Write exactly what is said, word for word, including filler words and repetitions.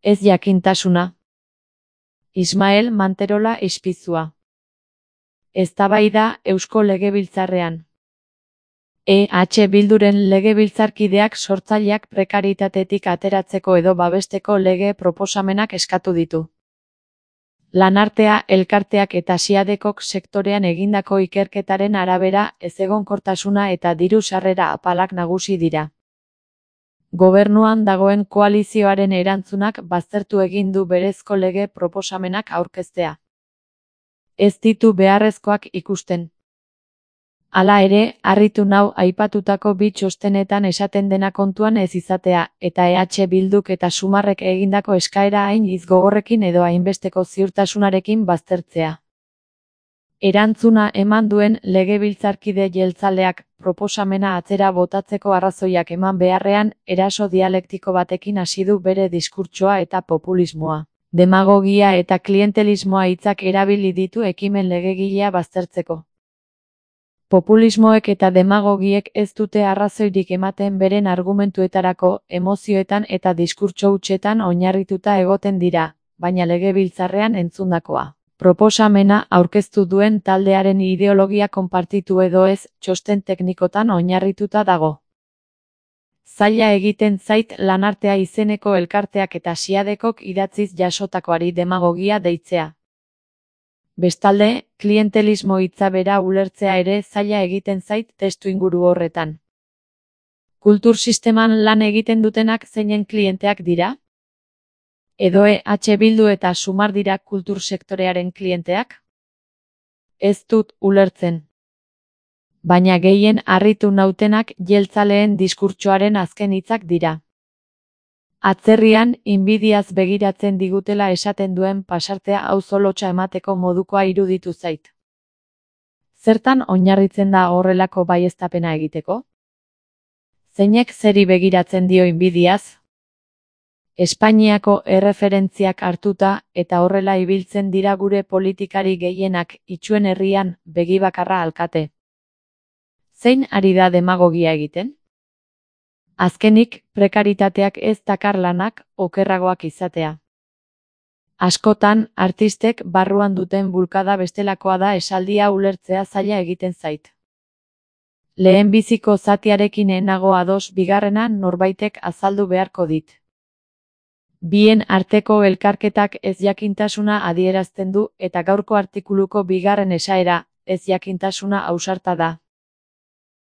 Ez jakintasuna. Ismael Manterola Ispizua. Eztabaida Eusko Legebiltzarrean. E H Bilduren legebiltzarkideak sortzaileak prekaritatetik ateratzeko edo babesteko lege proposamenak eskatu ditu. Lanartea, elkarteak eta Siadekok sektorean egindako ikerketaren arabera ezegonkortasuna eta diru sarrera apalak nagusi dira. Gobernuan dagoen koalizioaren erantzunak baztertu egin du berezko lege proposamenak aurkeztea. Ez ditu beharrezkoak ikusten. Hala ere, harritu nau aipatutako bi txostenetan esaten dena kontuan ez izatea, eta E H Bilduk eta Sumarrek egindako eskaera hain hitz gogorrekin edo hainbesteko ziurtasunarekin baztertzea. Erantzuna eman duen legebiltzarkide jeltzaleak proposamena atzera botatzeko arrazoiak eman beharrean, eraso dialektiko batekin hasi du bere diskurtsoa eta populismoa, demagogia eta klientelismoa hitzak erabili ditu ekimen legegilea baztertzeko. Populismoek eta demagogiek ez dute arrazoirik ematen beren argumentuetarako, emozioetan eta diskurtso hutsetan oinarrituta egoten dira, baina legebiltzarrean entzundakoa. Proposamena aurkeztu duen taldearen ideologia konpartitu edo ez, txosten teknikotan oinarrituta dago. Zaila egiten zait Lanartea izeneko elkarteak eta Siadekok idatziz jasotakoari demagogia deitzea. Bestalde, klientelismo hitza bera ulertzea ere zaila egiten zait testuinguru horretan. Kultur sisteman lan egiten dutenak zeinen klienteak dira? Edo E H Bildu eta Sumar dira kultur sektorearen klienteak? Ez dut ulertzen. Baina gehien harritu nautenak jeltzaleen diskurtsoaren azken hitzak dira. Atzerrian, inbidiaz begiratzen digutela esaten duen pasartea auzo lotsa emateko modukoa iruditu zait. Zertan oinarritzen da horrelako baieztapena egiteko? Zeinek zeri begiratzen dio inbidiaz? Espainiako erreferentziak hartuta eta horrela ibiltzen dira gure politikari gehienak itsuen herrian begibakarra alkate. Zein ari da demagogia egiten? Azkenik, prekaritateak ez dakar lanak okerragoak izatea. Askotan, artistek barruan duten bulkada bestelakoa da esaldia ulertzea zaila egiten zait. Lehenbiziko zatiarekin enago ados, bigarrena norbaitek azaldu beharko dit. Bien arteko elkarketak ez jakintasuna adierazten du eta gaurko artikuluko bigarren esaera, ez jakintasuna ausarta da.